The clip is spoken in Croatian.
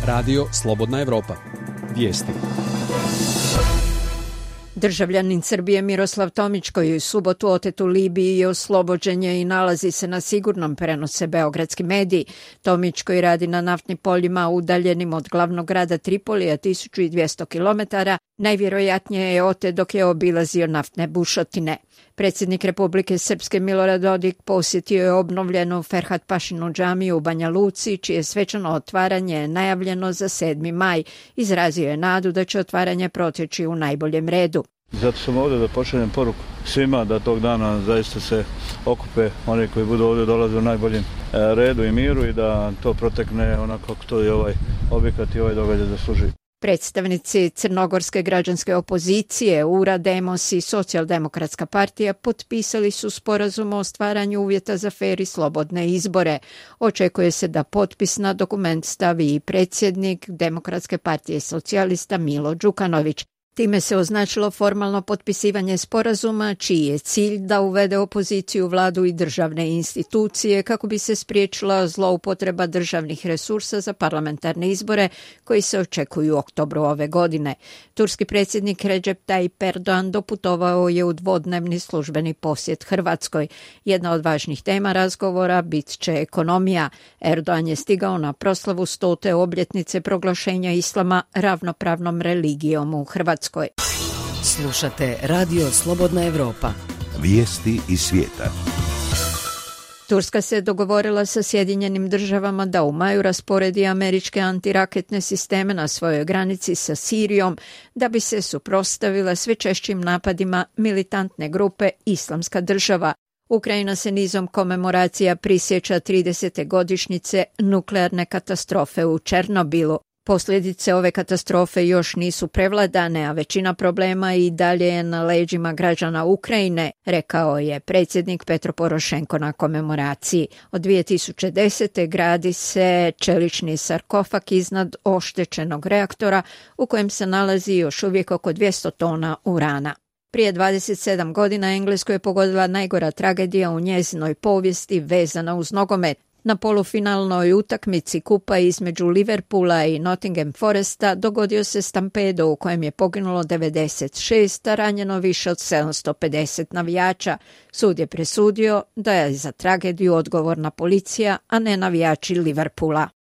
Radio Slobodna Evropa. Vijesti. Državljanin Srbije Miroslav Tomić, koji je u subotu otet u Libiji i oslobođen je i nalazi se na sigurnom, prenose beogradski mediji. Tomić, koji radi na naftnim poljima udaljenim od glavnog grada Tripolija 1200 km, najvjerojatnije je otet dok je obilazio naftne bušotine. Predsjednik Republike Srpske Milorad Dodik posjetio je obnovljenu Ferhat Pašinu džamiju u Banja Luci, čije svečano otvaranje je najavljeno za 7. maj. Izrazio je nadu da će otvaranje proteći u najboljem redu. Zato sam ovdje da pošaljem poruku svima da tog dana zaista se okupe oni koji budu ovdje dolaze u najboljem redu i miru i da to protekne onako kako to je ovaj objekat i ovaj događaj zaslužuje. Predstavnici crnogorske građanske opozicije, URA, Demos i Socijaldemokratska partija potpisali su sporazum o stvaranju uvjeta za fer i slobodne izbore. Očekuje se da potpis na dokument stavi i predsjednik Demokratske partije socijalista Milo Đukanović. Time se označilo formalno potpisivanje sporazuma, čiji je cilj da uvede opoziciju, vladu i državne institucije kako bi se spriječila zloupotreba državnih resursa za parlamentarne izbore koji se očekuju u oktobru ove godine. Turski predsjednik Recep Tayyip Erdogan doputovao je u dvodnevni službeni posjet Hrvatskoj. Jedna od važnih tema razgovora bit će ekonomija. Erdogan je stigao na proslavu 100. obljetnice proglašenja islama ravnopravnom religijom u Hrvatskoj. Slušate Radio Slobodna Evropa. Vijesti iz svijeta. Turska se dogovorila sa Sjedinjenim državama da u maju rasporedi američke antiraketne sisteme na svojoj granici sa Sirijom da bi se suprotstavila sve češćim napadima militantne grupe Islamska država. Ukrajina se nizom komemoracija prisjeća 30. godišnjice nuklearne katastrofe u Černobilu. Posljedice ove katastrofe još nisu prevladane, a većina problema i dalje je na leđima građana Ukrajine, rekao je predsjednik Petro Porošenko na komemoraciji. Od 2010. gradi se čelični sarkofag iznad oštećenog reaktora u kojem se nalazi još uvijek oko 200 tona urana. Prije 27 godina Englesku je pogodila najgora tragedija u njezinoj povijesti vezana uz nogomet. Na polufinalnoj utakmici kupa između Liverpoola i Nottingham Foresta dogodio se stampedo u kojem je poginulo 96, a ranjeno više od 750 navijača. Sud je presudio da je za tragediju odgovorna policija, a ne navijači Liverpoola.